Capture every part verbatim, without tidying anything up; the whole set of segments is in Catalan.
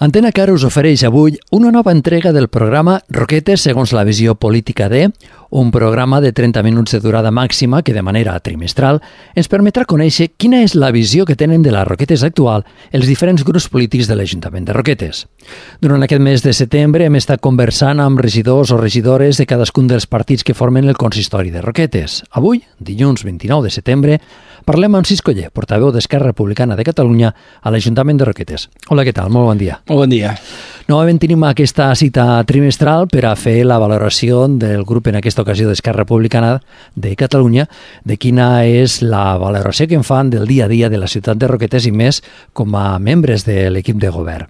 Antena Car us ofereix avui una nova entrega del programa Roquetes segons la visió política de, un programa de trenta minuts de durada màxima que de manera trimestral ens permetrà conèixer quina és la visió que tenen de la Roquetes actual els diferents grups polítics de l'Ajuntament de Roquetes. Durant aquest mes de setembre hem estat conversant amb regidors o regidores de cadascun dels partits que formen el consistori de Roquetes. Avui, dilluns vint-i-nou de setembre, parlem amb Cisco Oller, portaveu d'Esquerra Republicana de Catalunya a l'Ajuntament de Roquetes. Hola, què tal? Molt bon dia. Molt bon dia. Novament tenim aquesta cita trimestral per a fer la valoració del grup, en aquesta ocasió d'Esquerra Republicana de Catalunya, de quina és la valoració que en fan del dia a dia de la ciutat de Roquetes i més com a membres de l'equip de govern.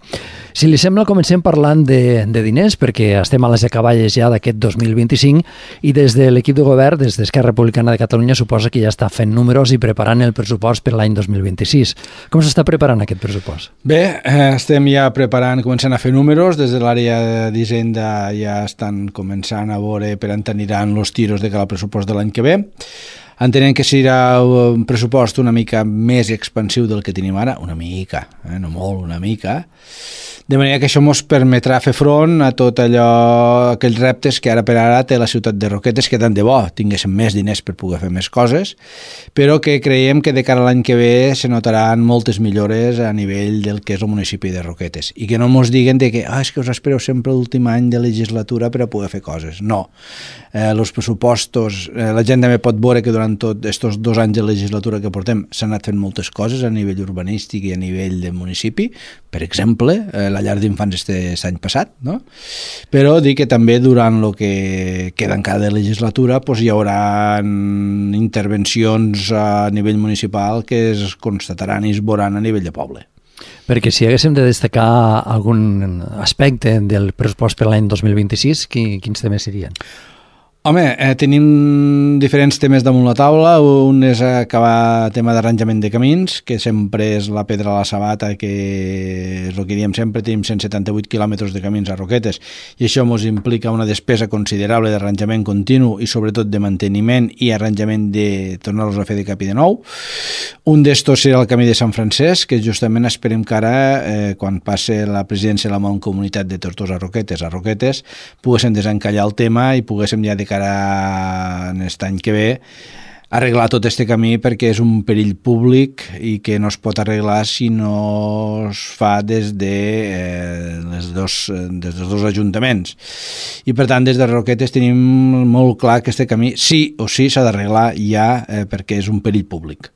Si li sembla, comencem parlant de, de diners, perquè estem a les acaballes ja d'aquest dos mil vint-i-cinc i des de l'equip de govern, des d'Esquerra Republicana de Catalunya, suposa que ja està fent números i preparant el pressupost per l'any dos mil vint-i-sis. Com s'està preparant aquest pressupost? Bé, eh, estem ja preparant, començant a fer números. Des de l'àrea d'Hisenda ja estan començant a veure per on aniran els tiros de cada pressupost de l'any que ve. Entenem que serà un pressupost una mica més expansiu del que tenim ara, una mica, eh? no molt, una mica, de manera que això ens permetrà fer front a tot allò, aquells reptes que ara per ara té la ciutat de Roquetes, que tant de bo tinguéssim més diners per poder fer més coses, però que creiem que de cara a l'any que ve se notaran moltes millores a nivell del que és el municipi de Roquetes, i que no ens diguen de que ah, és que us espereu sempre l'últim any de legislatura per a poder fer coses. No. Eh, els pressupostos, eh, la gent també pot veure que durant tots aquests dos anys de legislatura que portem s'han anat fent moltes coses a nivell urbanístic i a nivell de municipi, per exemple, eh, la llar d'infants este any passat, no? Però dic que també durant el que queda encara de legislatura pues, hi haurà intervencions a nivell municipal que es constataran i es veuran a nivell de poble. Perquè si haguéssim de destacar algun aspecte del pressupost per l'any dos mil vint-i-sis, quins temes serien? Home, eh, tenim diferents temes damunt la taula. Un és acabar el tema d'arranjament de camins, que sempre és la pedra a la sabata, que és el que diem sempre. Tenim cent setanta-vuit quilòmetres de camins a Roquetes i això ens implica una despesa considerable d'arranjament continu i sobretot de manteniment i arranjament de tornar-los a fer de cap i de nou. Un d'estos serà el camí de Sant Francesc, que justament esperem que ara, eh, quan passe la presidència de la Mancomunitat de Tortosa Roquetes a Roquetes, poguéssim desencallar el tema i poguéssim ja de cara en aquest any que ve arreglar tot este camí, perquè és un perill públic i que no es pot arreglar si no es fa des de eh, les dos, des dels dos ajuntaments. I per tant, des de Roquetes tenim molt clar que este camí sí o sí s'ha d'arreglar ja eh, perquè és un perill públic.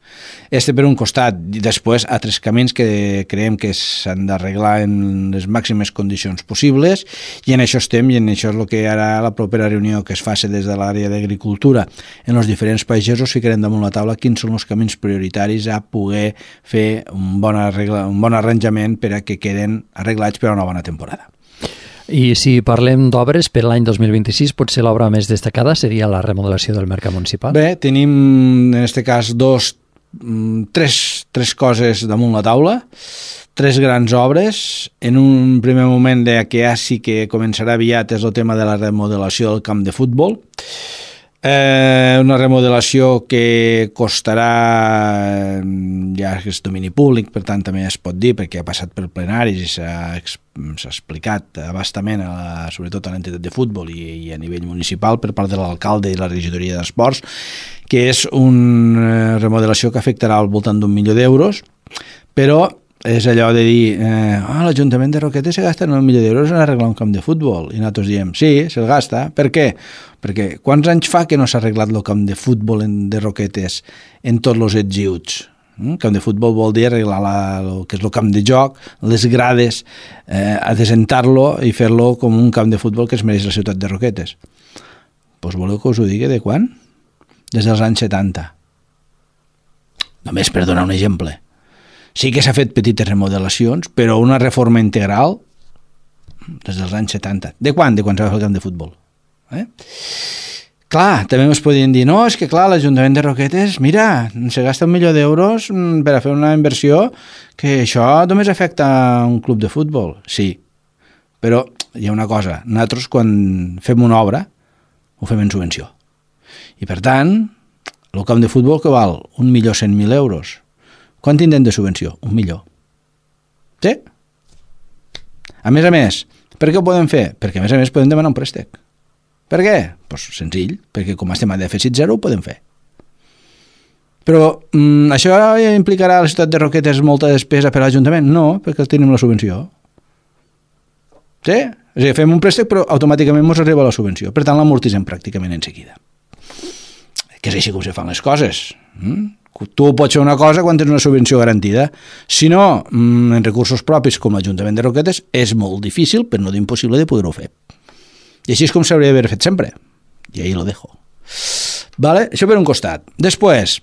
Este per un costat, i després altres camins que creiem que s'han d'arreglar en les màximes condicions possibles, i en això estem, i en això és el que ara la propera reunió que es faci des de l'àrea d'agricultura en els diferents pagesos ficarem damunt la taula quins són els camins prioritaris a poder fer un bon, arregla, un bon arranjament per a que queden arreglats per a una bona temporada. I si parlem d'obres per l'any dos mil vint-i-sis, potser l'obra més destacada seria la remodelació del mercat municipal? Bé, tenim en aquest cas dos Tres, tres coses damunt la taula, tres grans obres. En un primer moment de que ja sí que començarà aviat és el tema de la remodelació del camp de futbol. Eh, una remodelació que costarà, ja és domini públic, per tant també es pot dir, perquè ha passat per plenaris i s'ha s'ha explicat abastament, a la, sobretot a l'entitat de futbol i, i a nivell municipal per part de l'alcalde i la regidoria d'esports, que és una remodelació que afectarà al voltant d'un milió d'euros, però és allò de dir eh, ah, l'Ajuntament de Roquetes se gasta un milió d'euros en arreglar un camp de futbol, i nosaltres diem sí, se'l gasta. Per què? Perquè quants anys fa que no s'ha arreglat el camp de futbol de Roquetes en tots els ets i uts? El camp de futbol vol dir arreglar la, el que és el camp de joc, les grades, eh, adesentar-lo i fer-lo com un camp de futbol que es mereix la ciutat de Roquetes. Doncs voleu que us ho digui de quan? Des dels anys setanta. Només per donar un exemple. Sí que s'ha fet petites remodelacions, però una reforma integral des dels anys setanta. De quan? De quan s'ha fet el camp de futbol. Eh? Clar, també ens podien dir, no, és que clar, l'Ajuntament de Roquetes, mira, se gasta un milió d'euros per a fer una inversió que això només afecta un club de futbol. Sí, però hi ha una cosa, nosaltres quan fem una obra ho fem en subvenció. I per tant, el camp de futbol que val un milió cent mil euros, quant tindrem de subvenció? Un milió. Sí? A més a més, per què ho podem fer? Perquè a més a més podem demanar un préstec. Per què? Pues senzill, perquè com estem a dèficit zero ho podem fer. Però mm, això implicarà a la ciutat de Roquetes molta despesa per a l'Ajuntament? No, perquè tenim la subvenció. Sí? És a dir, fem un préstec però automàticament ens arriba la subvenció. Per tant, l'amortitzem pràcticament en seguida. Que és així com se fan les coses. Mm? Tu pots fer una cosa quan tens una subvenció garantida. Si no, en recursos propis com l'Ajuntament de Roquetes, és molt difícil, però no d'impossible de poder-ho fer. I així és com s'hauria d'haver fet sempre. I ahí lo dejo. Vale? Això per un costat. Després,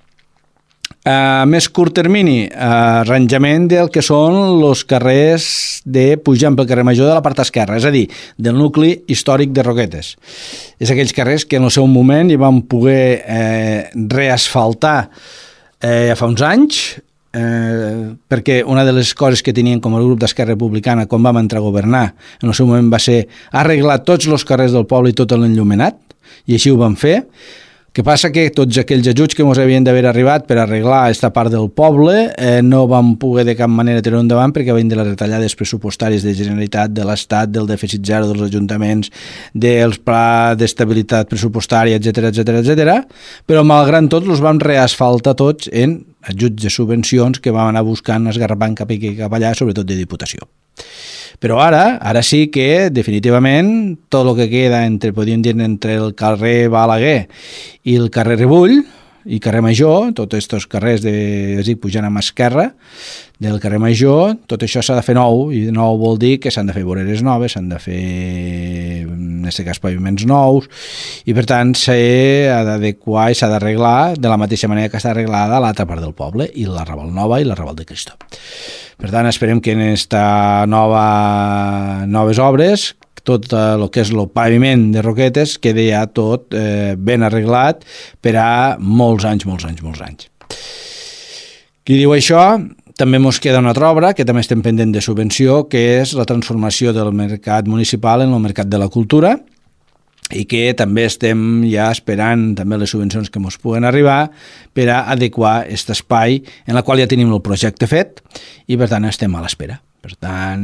a més curt termini, arranjament del que són els carrers de pujant pel carrer Major de la part esquerra, és a dir, del nucli històric de Roquetes. És aquells carrers que en el seu moment hi van poder eh, reasfaltar eh, fa uns anys, eh, perquè una de les coses que tenien com a grup d'Esquerra Republicana quan vam entrar a governar en el seu moment va ser arreglar tots els carrers del poble i tot l'enllumenat, i així ho vam fer. Que passa que tots aquells ajuts que ens havien d'haver arribat per arreglar aquesta part del poble eh, no vam poder de cap manera tenir endavant perquè venien de les retallades pressupostàries de Generalitat, de l'Estat, del dèficit zero dels ajuntaments, dels plans d'estabilitat pressupostària, etcètera, etcètera, etcètera. Però malgrat tot els vam reasfaltar tots en ajuts de subvencions que vam anar buscant, esgarrapant cap aquí cap allà, sobretot de Diputació. Però ara, ara sí que definitivament tot el que queda entre, podríem dir, entre el carrer Balaguer i el carrer Ribull i carrer Major, tots aquests carrers de, és dir, pujant a mà esquerra del carrer Major, tot això s'ha de fer nou, i nou vol dir que s'han de fer voreres noves, s'han de fer, en aquest cas, paviments nous, i per tant s'ha d'adequar i s'ha d'arreglar de la mateixa manera que està arreglada l'altra part del poble, i la Raval Nova i la Raval de Cristo. Per tant, esperem que en esta nova, noves obres tot el que és el paviment de Roquetes quedi ja tot eh, ben arreglat per a molts anys, molts anys, molts anys. Qui diu això, també ens queda una altra obra que també estem pendent de subvenció, que és la transformació del mercat municipal en el mercat de la cultura, i que també estem ja esperant també les subvencions que ens puguen arribar per a adequar aquest espai en la qual ja tenim el projecte fet i per tant estem a l'espera. Per tant,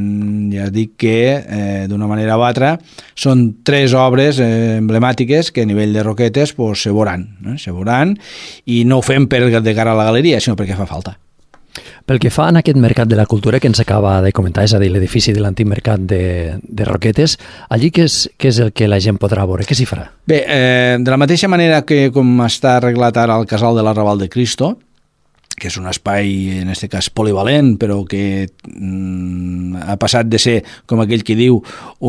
ja dic que eh, d'una manera o altra són tres obres eh, emblemàtiques que a nivell de Roquetes pues, se veuran, eh? se veuran, i no ho fem per de cara a la galeria, sinó perquè fa falta. Pel que fa en aquest mercat de la cultura que ens acaba de comentar, és a dir, l'edifici de l'antic mercat de, de Roquetes, allí què és, què és el que la gent podrà veure? Què s'hi farà? Bé, eh, de la mateixa manera que com està arreglat ara el casal de la Raval de Cristo, que és un espai, en aquest cas, polivalent, però que mm, ha passat de ser, com aquell que diu,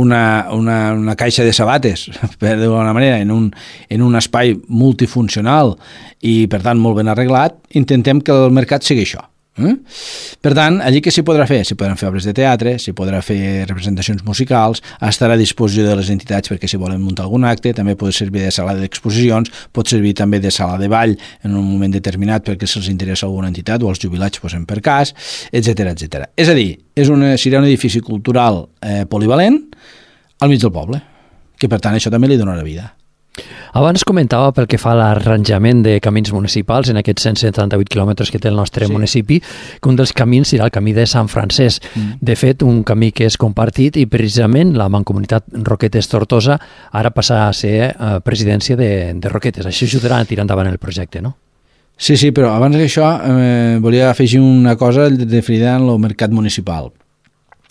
una, una, una caixa de sabates, per d'alguna manera, en un, en un espai multifuncional i, per tant, molt ben arreglat, intentem que el mercat sigui això. Eh? Per tant, allí què s'hi podrà fer? S'hi podran fer obres de teatre, s'hi podrà fer representacions musicals, estarà a disposició de les entitats perquè si volen muntar algun acte, també pot servir de sala d'exposicions, pot servir també de sala de ball en un moment determinat perquè se'ls interessa alguna entitat o els jubilats posem per cas, etcètera, etcètera. És a dir, és una, serà un edifici cultural eh, polivalent al mig del poble, que per tant això també li donarà vida. Abans comentava pel que fa a l'arranjament de camins municipals en aquests cent setanta-vuit quilòmetres que té el nostre sí. municipi, que un dels camins serà el camí de Sant Francesc. Mm. De fet, un camí que és compartit i precisament la Mancomunitat Roquetes-Tortosa ara passa a ser eh, presidència de, de Roquetes. Això ajudarà a tirar endavant el projecte, no? Sí, sí, però abans d'això eh, volia afegir una cosa referida al mercat municipal.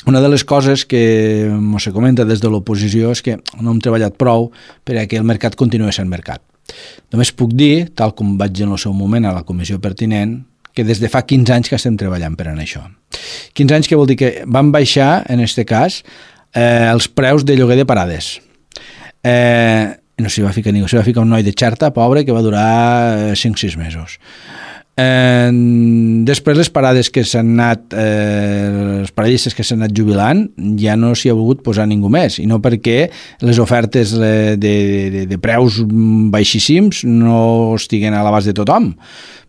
Una de les coses que se comenta des de l'oposició és que no hem treballat prou perquè el mercat continuï sent mercat. Només puc dir, tal com vaig dir en el seu moment a la comissió pertinent, que des de fa quinze anys que estem treballant per en això. quinze anys que vol dir que van baixar, en aquest cas, eh, els preus de lloguer de parades. Eh, no s'hi va ficar ningú, s'hi va ficar un noi de Xerta, pobre, que va durar cinc o sis mesos. Eh, després les parades que s'han anat eh, els paradistes que s'han anat jubilant ja no s'hi ha volgut posar ningú més i no perquè les ofertes de, de, de preus baixíssims no estiguen a l'abast de tothom,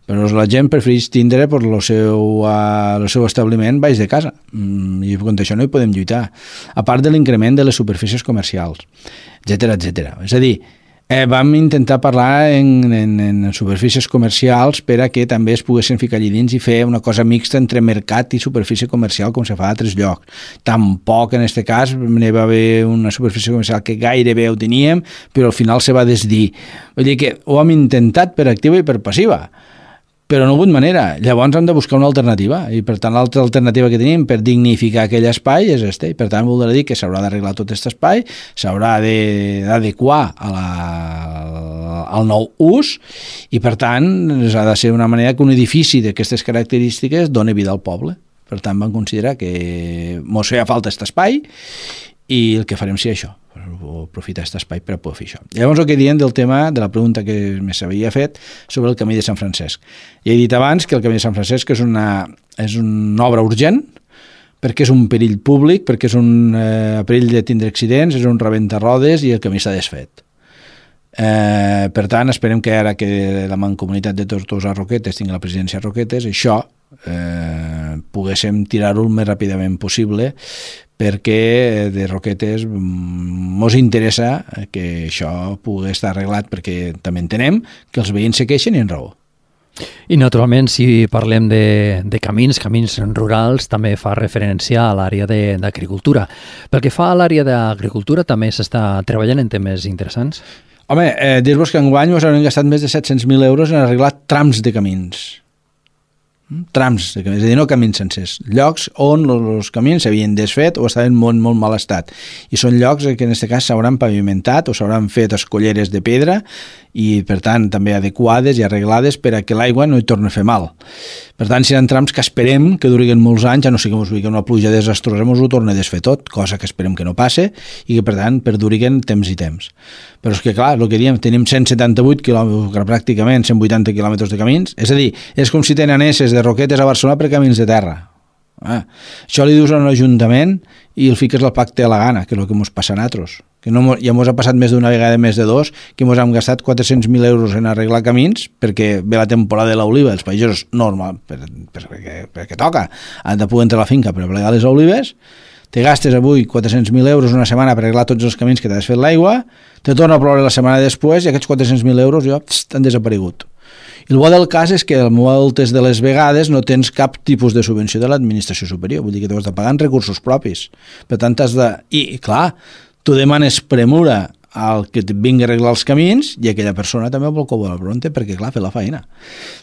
però la gent prefereix tindre per el seu, uh, el seu establiment baix de casa mm, i contra això no hi podem lluitar, a part de l'increment de les superfícies comercials, etcètera, etcètera. És a dir, Eh, vam intentar parlar en, en, en superfícies comercials per a que també es poguessin ficar allà dins i fer una cosa mixta entre mercat i superfície comercial com se fa a altres llocs. Tampoc en aquest cas n'hi va haver una superfície comercial que gairebé ho teníem, però al final se va desdir. Vull dir que ho hem intentat per activa i per passiva, però no hi ha hagut manera. Llavors hem de buscar una alternativa i per tant l'altra alternativa que tenim per dignificar aquell espai és este i per tant voldrà dir que s'haurà d'arreglar tot aquest espai, s'haurà d'adequar a la, al nou ús i per tant ha de ser una manera que un edifici d'aquestes característiques doni vida al poble. Per tant vam considerar que mos feia falta aquest espai i el que farem sí això, aprofitar aquest espai per a poder fer això. Llavors el que diem del tema de la pregunta que s'havia fet sobre el camí de Sant Francesc. Ja he dit abans que el camí de Sant Francesc és una, és una obra urgent perquè és un perill públic, perquè és un eh, perill de tindre accidents, és un rebenta-rodes i el camí s'ha desfet. Eh, per tant, esperem que ara que la Mancomunitat de Tortosa Roquetes tingui la presidència a Roquetes, això eh, poguéssim tirar-ho el més ràpidament possible perquè de Roquetes mos interessa que això pugui estar arreglat perquè també entenem que els veïns se queixen i en raó. I naturalment si parlem de, de camins, camins rurals, també fa referència a l'àrea d'agricultura. Pel que fa a l'àrea d'agricultura també s'està treballant en temes interessants? Home, eh, dir-vos que enguany us hauran gastat més de set-cents mil euros en arreglar trams de camins. Trams, és a dir, no camins sencers, llocs on els camins s'havien desfet o estaven en molt, molt mal estat. I són llocs que en aquest cas s'hauran pavimentat o s'hauran fet escolleres de pedra i, per tant, també adequades i arreglades per a que l'aigua no hi torni a fer mal. Per tant, seran trams que esperem que duriguen molts anys, ja no sé que ens una pluja desastrosa, ens ho torna a desfer tot, cosa que esperem que no passe i que, per tant, perduriguen temps i temps. Però és que, clar, el que diem, tenim cent setanta-vuit quilòmetres, pràcticament cent vuitanta quilòmetres de camins, és a dir, és com si tenen anesses de Roquetes a Barcelona per camins de terra. Ah, això li dius a un ajuntament i el fiques al pacte a la gana, que és el que ens passa a nosaltres. Que no, ja ens ha passat més d'una vegada, més de dos, que ens hem gastat quatre-cents mil euros en arreglar camins perquè ve la temporada de l'oliva, els països normal, per, per, perquè, perquè toca, han de poder entrar a la finca per plegar les olives, te gastes avui quatre-cents mil euros una setmana per arreglar tots els camins que t'has fet l'aigua, te torna a ploure la setmana després i aquests quatre-cents mil euros ja pst, han desaparegut. I el bo del cas és que moltes de les vegades no tens cap tipus de subvenció de l'administració superior, vull dir que t'ho has de pagar en recursos propis. Per tant, has de... I, clar, tu demanes premura al que et vingui a arreglar els camins i aquella persona també vol que ho vol pronte perquè, clar, fer la feina.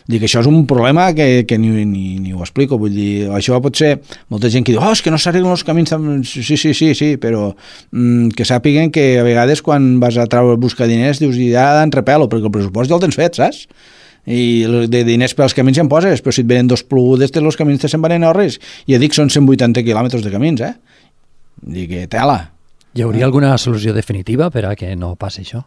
Vull dir que això és un problema que, que ni, ni, ni ho explico. Vull dir, això pot ser molta gent que diu, oh, és que no s'arreglen els camins. Sí, sí, sí, sí, però mm, que sàpiguen que a vegades quan vas a treure buscar diners dius, ja dan repelo, perquè el pressupost ja el tens fet, saps? I de diners per als camins ja en poses, però si et venen dos plogudes, els camins te se'n van en horris. I ja dic, són cent vuitanta quilòmetres de camins, eh? Dic que tela. Hi hauria alguna solució definitiva per a que no passi això?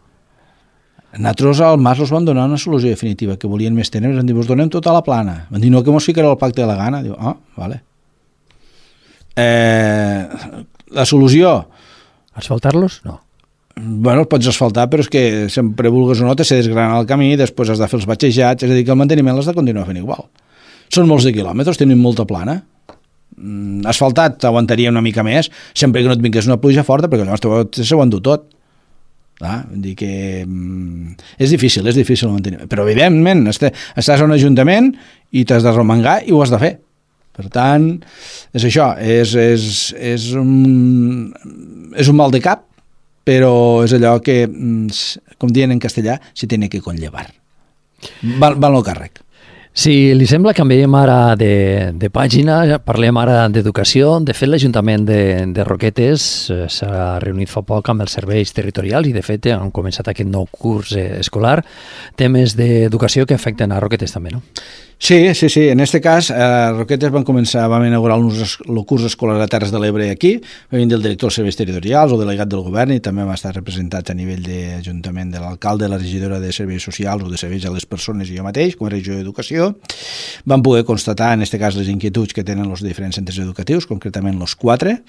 Nosaltres al Mas els van donar una solució definitiva, que volien més tenir, ens diuen, us donem tota la plana. Van dir, no, que mos ficarà el pacte de la gana. Diu, ah, vale. Eh, la solució... Asfaltar-los? No. Bueno, pots asfaltar, però és que sempre vulgues o no te se desgrana el camí, després has de fer els batxejats, és a dir, que el manteniment l'has de continuar fent igual. Són molts de quilòmetres, tenim molta plana. Mm, asfaltat t'aguantaria una mica més, sempre que no et vingués una pluja forta, perquè llavors s'ho endú tot. Ah, vull dir que mm, és difícil, és difícil el manteniment. Però evidentment, estàs a un ajuntament i t'has de remengar i ho has de fer. Per tant, és això, és, és, és, un, és un mal de cap, però és allò que, com diuen en castellà, se tiene que conllevar. Val, val el càrrec. Si li sembla, canviem ara de, de pàgina, parlem ara d'educació. De fet, l'Ajuntament de, de Roquetes s'ha reunit fa poc amb els serveis territorials i, de fet, han començat aquest nou curs escolar. Temes d'educació que afecten a Roquetes també, no? Sí, sí, sí. En aquest cas, a Roquetes van començar, vam inaugurar el curs escolar de Terres de l'Ebre aquí, va venir del director dels serveis territorials o delegat del govern i també va estar representats a nivell d'Ajuntament de l'alcalde, la regidora de serveis socials o de serveis a les persones i jo mateix, com a regidor d'Educació. Vam poder constatar, en aquest cas, les inquietuds que tenen els diferents centres educatius, concretament els quatre.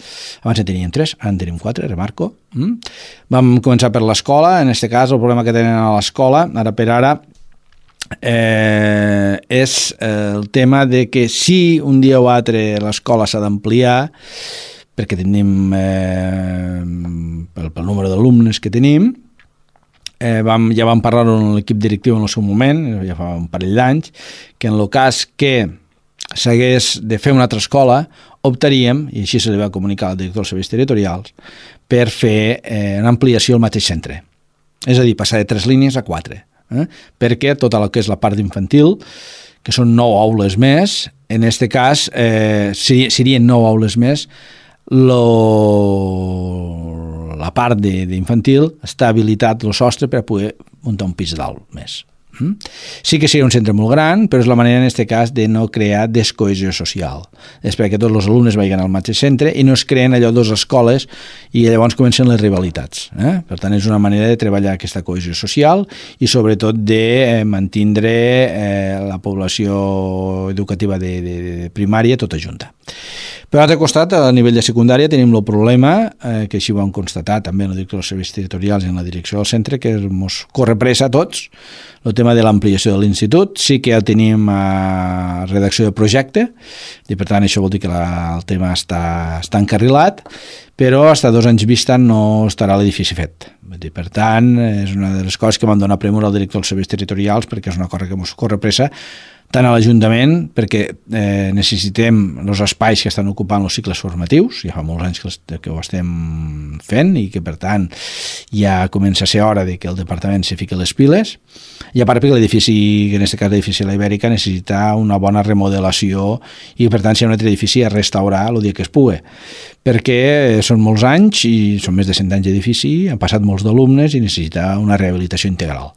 Abans en teníem tres, ara en tenim quatre, remarco. Mm. Vam començar per l'escola, en aquest cas el problema que tenen a l'escola, ara per ara, Eh, és eh, el tema de que si un dia o altre l'escola s'ha d'ampliar perquè tenim eh, pel, pel número d'alumnes que tenim eh, vam, ja vam parlar amb l'equip directiu en el seu moment, ja fa un parell d'anys, que en el cas que s'hagués de fer una altra escola, optaríem, i així se li va comunicar al director dels serveis territorials, per fer eh, una ampliació al mateix centre. És a dir, passar de tres línies a quatre. Eh? Perquè tota el que és la part d'infantil, que són nou aules més, en aquest cas eh, serien nou aules més, lo, la part d'infantil està habilitat el sostre per a poder muntar un pis dalt més. Sí que seria un centre molt gran, però és la manera en aquest cas de no crear descohesió social. És perquè tots els alumnes vagin al mateix centre i no es creen allò dues escoles i llavors comencen les rivalitats. Eh? Per tant, és una manera de treballar aquesta cohesió social i sobretot de mantindre eh, la població educativa de, de, de primària tota junta. Per l'altre costat, a nivell de secundària, tenim el problema, eh, que així ho hem constatat també en la direcció dels serveis territorials i en la direcció del centre, que ens corre pressa a tots, el tema de l'ampliació de l'institut. Sí que ja tenim a redacció de projecte, i per tant això vol dir que la, el tema està, està encarrilat, però fins a dos anys vista no estarà l'edifici fet. Per tant, és una de les coses que vam donar premura al director dels serveis territorials, perquè és una cosa que ens corre pressa, tant a l'Ajuntament, perquè eh, necessitem els espais que estan ocupant els cicles formatius, ja fa molts anys que, que ho estem fent i que, per tant, ja comença a ser hora de que el departament se fiqui les piles, i a part perquè l'edifici, en aquest cas l'edifici de la Ibèrica, necessita una bona remodelació i, per tant, si hi ha un altre edifici a restaurar el dia que es pugui, perquè són molts anys i són més de cent anys d'edifici, han passat molts d'alumnes i necessita una rehabilitació integral.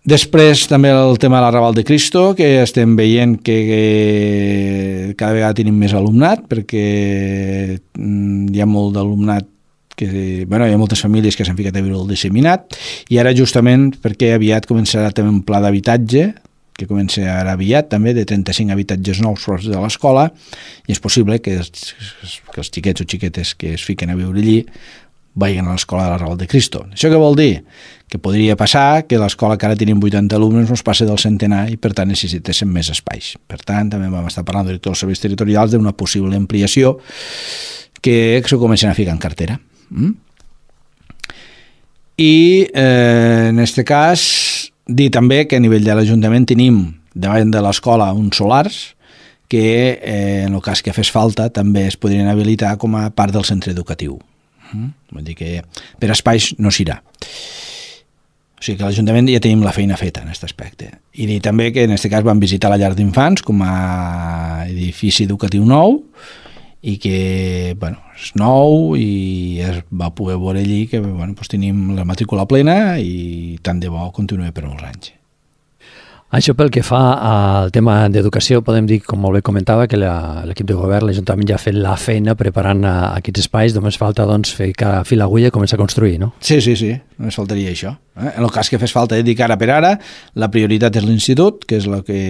Després també el tema de l'Arrabal de Cristo, que estem veient que, que cada vegada tenim més alumnat, perquè hi ha molt d'alumnat, que, bueno, hi ha moltes famílies que s'han ficat a viure el disseminat, i ara justament perquè aviat començarà també un pla d'habitatge, que comença ara aviat també, de trenta-cinc habitatges nous prop de l'escola, i és possible que els, que els xiquets o xiquetes que es fiquen a viure allí vagin a l'escola de l'Arrabal de Cristo. Això què vol dir? Que podria passar que l'escola que ara tenim vuitanta alumnes no es passi del centenar i per tant necessitéssim més espais. Per tant, també vam estar parlant del director dels serveis territorials d'una possible ampliació que s'ho comencen a ficar en cartera. Mm? I eh, en aquest cas dir també que a nivell de l'Ajuntament tenim davant de l'escola uns solars que eh, en el cas que fes falta també es podrien habilitar com a part del centre educatiu. Mm? Vull dir que per espais no s'irà. O sigui que a l'Ajuntament ja tenim la feina feta en aquest aspecte. I dir també que en aquest cas vam visitar la llar d'infants com a edifici educatiu nou i que bueno, és nou i es va poder veure allí que bueno, doncs tenim la matrícula plena i tant de bo continuï per molts anys. Això pel que fa al tema d'educació, podem dir, com molt bé comentava, que l'equip de govern, l'Ajuntament ja ha fet la feina preparant aquests espais, només falta doncs, fer fil a agulla i començar a construir, no? Sí, sí, sí, només faltaria això. Eh? En el cas que fes falta dir que ara per ara la prioritat és l'institut, que és el que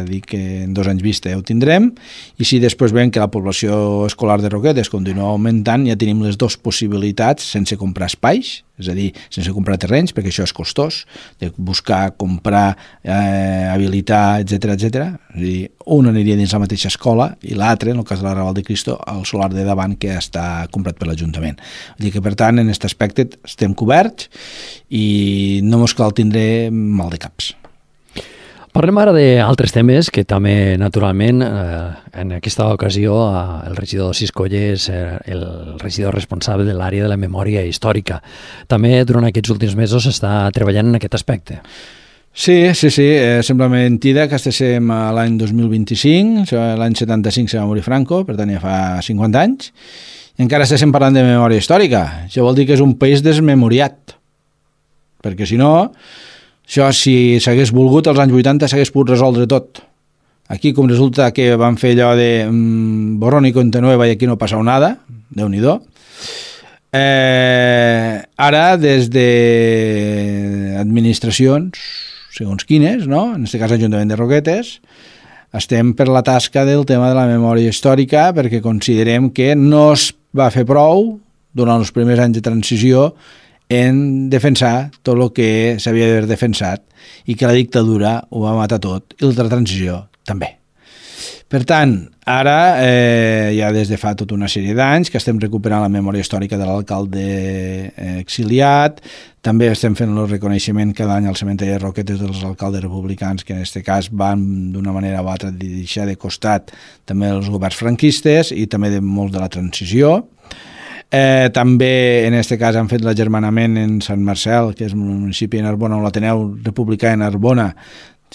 dic que en dos anys vista ja ho tindrem, i si després veiem que la població escolar de Roquetes continua augmentant, ja tenim les dues possibilitats sense comprar espais, és a dir, sense comprar terrenys, perquè això és costós, de buscar, comprar, eh, habilitar, etcètera, etcètera. És a dir, un aniria dins la mateixa escola i l'altre, en el cas de l'Arrabal de Cristo, el solar de davant que està comprat per l'Ajuntament. Vull dir que, per tant, en aquest aspecte estem coberts i no mos cal tindre mal de caps. Parlem ara d'altres temes que també, naturalment, eh, en aquesta ocasió eh, el regidor Siscolle és eh, el regidor responsable de l'àrea de la memòria històrica. També durant aquests últims mesos està treballant en aquest aspecte. Sí, sí, sí, eh, sembla mentida que estéssim a l'any dos mil vint-i-cinc, l'any setanta-cinc se va morir Franco, per tant ja fa cinquanta anys, i encara estéssim parlant de memòria històrica. Això vol dir que és un país desmemoriat, perquè si no, això si s'hagués volgut als anys vuitanta s'hagués pogut resoldre tot. Aquí com resulta que van fer allò de mm, borrón y cuenta nueva i aquí no ha passat nada, Déu-n'hi-do. Eh, ara des de administracions segons quines, no? En aquest cas l'Ajuntament de Roquetes, estem per la tasca del tema de la memòria històrica perquè considerem que no es va fer prou durant els primers anys de transició en defensar tot el que s'havia d'haver defensat i que la dictadura ho va matar tot i la transició també. Per tant, ara, eh, ja des de fa tota una sèrie d'anys que estem recuperant la memòria històrica de l'alcalde exiliat, També estem fent el reconeixement cada any al cementeri de Roquetes dels alcaldes republicans, que en aquest cas van d'una manera o altra deixar de costat també els governs franquistes i també de molts de la transició. Eh, també en aquest cas han fet l'agermanament en Sant Marcel, que és un municipi de Narbona, on l'Ateneu Republicà de Narbona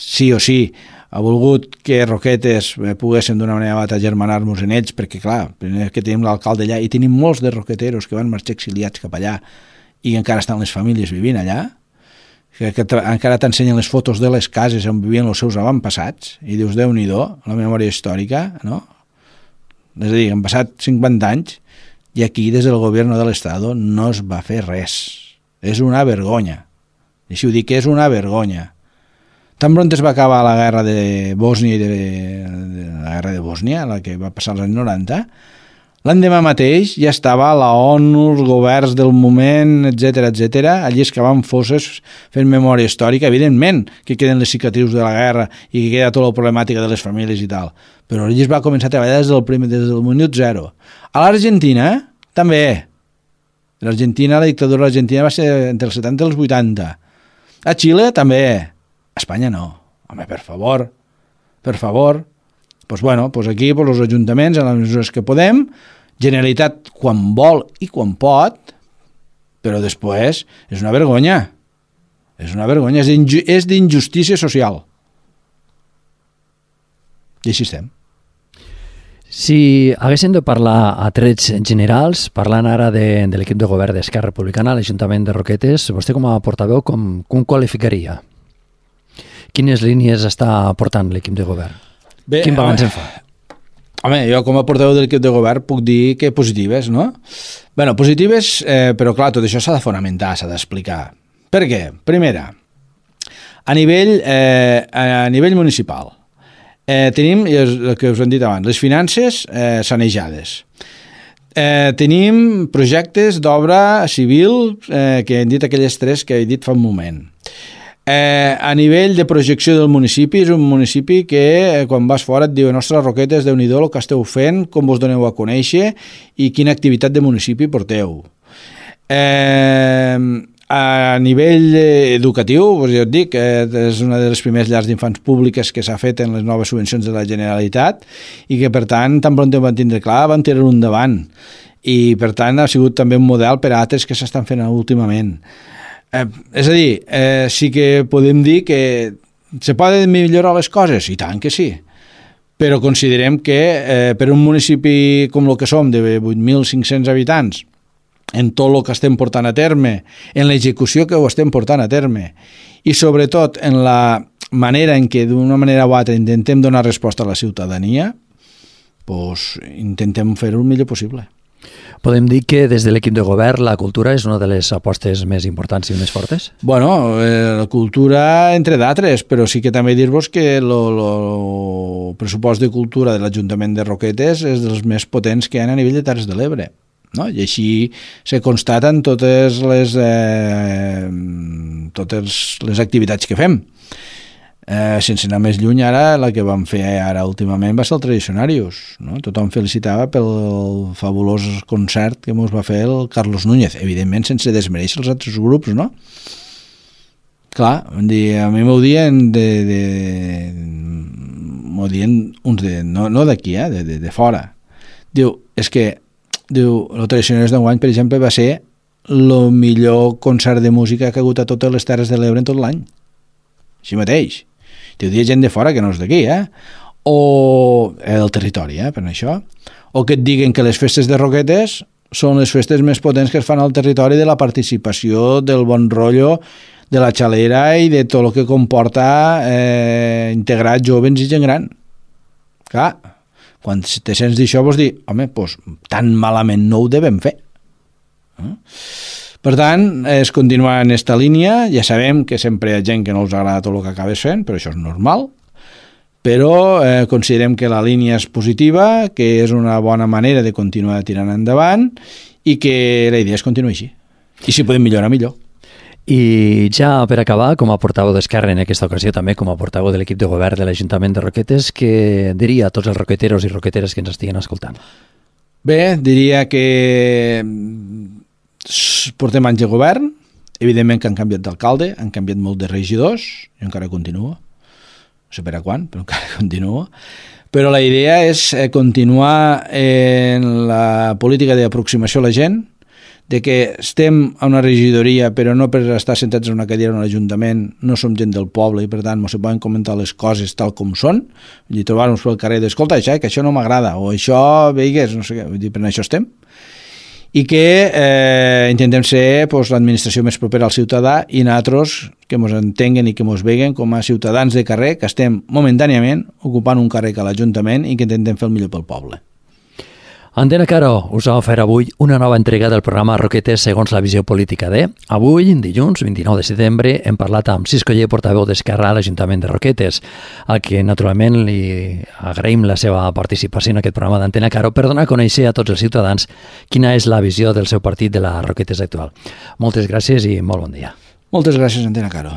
sí o sí ha volgut que Roquetes poguessin d'una manera o altra germanar-nos en ells, perquè clar, primer que tenim l'alcalde allà i tenim molts de roqueteros que van marxar exiliats cap allà i encara estan les famílies vivint allà, que, que encara t'ensenyen les fotos de les cases on vivien els seus avantpassats i dius, Déu-n'hi-do, la memòria històrica, no? És a dir, han passat cinquanta anys i aquí des del govern de l'Estat no es va fer res. És una vergonya. I si ho dic, és una vergonya. Tan pront es va acabar la guerra de Bòsnia i de, de la guerra de Bòsnia, la que va passar als anys noranta, l'endemà mateix ja estava la ONU, els governs del moment, etcètera, etcètera, allí excavant fosses, fent memòria històrica, evidentment que queden les cicatrius de la guerra i que queda tota la problemàtica de les famílies i tal, però allí es va començar a treballar des del primer, des del minut zero. A l'Argentina, també. L'Argentina, la dictadura argentina va ser entre els setanta i els vuitanta. A Xile, també. A Espanya no. Home, per favor, per favor. Doncs pues bueno, pues aquí pues els ajuntaments, en les mesures que podem, Generalitat quan vol i quan pot, però després és una vergonya. És una vergonya, és d'injustícia social. I així estem. Si haguéssim de parlar a trets generals, parlant ara de, de l'equip de govern d'Esquerra Republicana a l'Ajuntament de Roquetes, vostè com a portaveu com, com qualificaria? Quines línies està portant l'equip de govern? Bé, quin balanç en fa? Home, jo com a portaveu de l'equip de govern puc dir que positives, no? Bé, positives, eh, però clar, tot això s'ha de fonamentar, s'ha d'explicar. Per què? Primera, a nivell, eh, a nivell municipal, eh, tenim, el que us hem dit abans, les finances eh, sanejades. Eh, tenim projectes d'obra civil eh, que hem dit aquelles tres que he dit fa un moment. Eh, a nivell de projecció del municipi, és un municipi que eh, quan vas fora et diu, nostres Roquetes, Déu-n'hi-do el que esteu fent, com vos doneu a conèixer i quina activitat de municipi porteu. Eh, a nivell educatiu, doncs jo et dic, eh, és una de les primeres llars d'infants públiques que s'ha fet en les noves subvencions de la Generalitat i que per tant, tan pront ho van tindre clar, van tirar un endavant i per tant ha sigut també un model per a altres que s'estan fent últimament. Eh, és a dir, eh, sí que podem dir que se poden millorar les coses, i tant que sí, però considerem que eh, per un municipi com el que som, de vuit mil cinc-cents habitants, en tot el que estem portant a terme, en l'execució que ho estem portant a terme, i sobretot en la manera en què d'una manera o altra intentem donar resposta a la ciutadania, doncs intentem fer-ho el millor possible. Podem dir que des de l'equip de govern la cultura és una de les apostes més importants i més fortes? Bueno, eh, la cultura entre d'altres, però sí que també dir-vos que el pressupost de cultura de l'Ajuntament de Roquetes és dels més potents que hi ha a nivell de Terres de l'Ebre, no? I així se constaten totes les, eh, totes les activitats que fem. Eh, sense anar més lluny, ara la que vam fer ara últimament va ser el Tradicionarius, no? Tothom felicitava pel fabulós concert que ens va fer el Carlos Núñez, evidentment sense desmereixer els altres grups, no? Clar, a mi m'ho dien de, de, m'ho dien uns de, no, no d'aquí, eh, de, de, de fora. Diu, és que diu, el Tradicionarius d'enguany, per exemple, va ser el millor concert de música que ha hagut a totes les Terres de l'Ebre en tot l'any. Així mateix. Diu, hi ha gent de fora que no és d'aquí, eh? O eh, del territori, eh, per això. O que et diguen que les festes de Roquetes són les festes més potents que es fan al territori, de la participació, del bon rotllo, de la xalera i de tot el que comporta eh, integrar jóvens i gent gran. Clar, quan te sents d'això vols dir, home, doncs tan malament no ho devem fer. Eh? Per tant, és continuar en aquesta línia. Ja sabem que sempre hi ha gent que no els agrada tot el que acabes fent, però això és normal. Però eh, considerem que la línia és positiva, que és una bona manera de continuar tirant endavant i que la idea és continuar així. I si podem millorar, millor. I ja per acabar, com a portaveu d'Esquerra en aquesta ocasió, també com a portaveu de l'equip de govern de l'Ajuntament de Roquetes, què diria a tots els roqueteros i roqueteres que ens estiguen escoltant? Bé, diria que portem anys de govern, Evidentment que han canviat d'alcalde, han canviat molt de regidors, i encara continua. No sé per a quan, però encara continua. Però la idea és continuar en la política d'aproximació a la gent, de que estem a una regidoria però no per estar sentats en una cadira en l'Ajuntament, no som gent del poble i per tant no se poden comentar les coses tal com són, vull dir, trobar-nos pel carrer d'escolta, això, que això no m'agrada o això, veigues, no sé què, vull dir, per això estem i que eh, intentem ser pues, l'administració més propera al ciutadà i nosaltres que ens entenguen i que ens veguen com a ciutadans de carrer que estem momentàniament ocupant un carrer a l'Ajuntament i que intentem fer el millor pel poble. Antena Caro us ha ofert avui una nova entrega del programa Roquetes segons la visió política de. Avui, dilluns, vint-i-nou de setembre, hem parlat amb Cisco Ller, portaveu d'Esquerra a l'Ajuntament de Roquetes, al que naturalment li agraïm la seva participació en aquest programa d'Antena Caro per donar a conèixer a tots els ciutadans quina és la visió del seu partit de la Roquetes actual. Moltes gràcies i molt bon dia. Moltes gràcies, Antena Caro.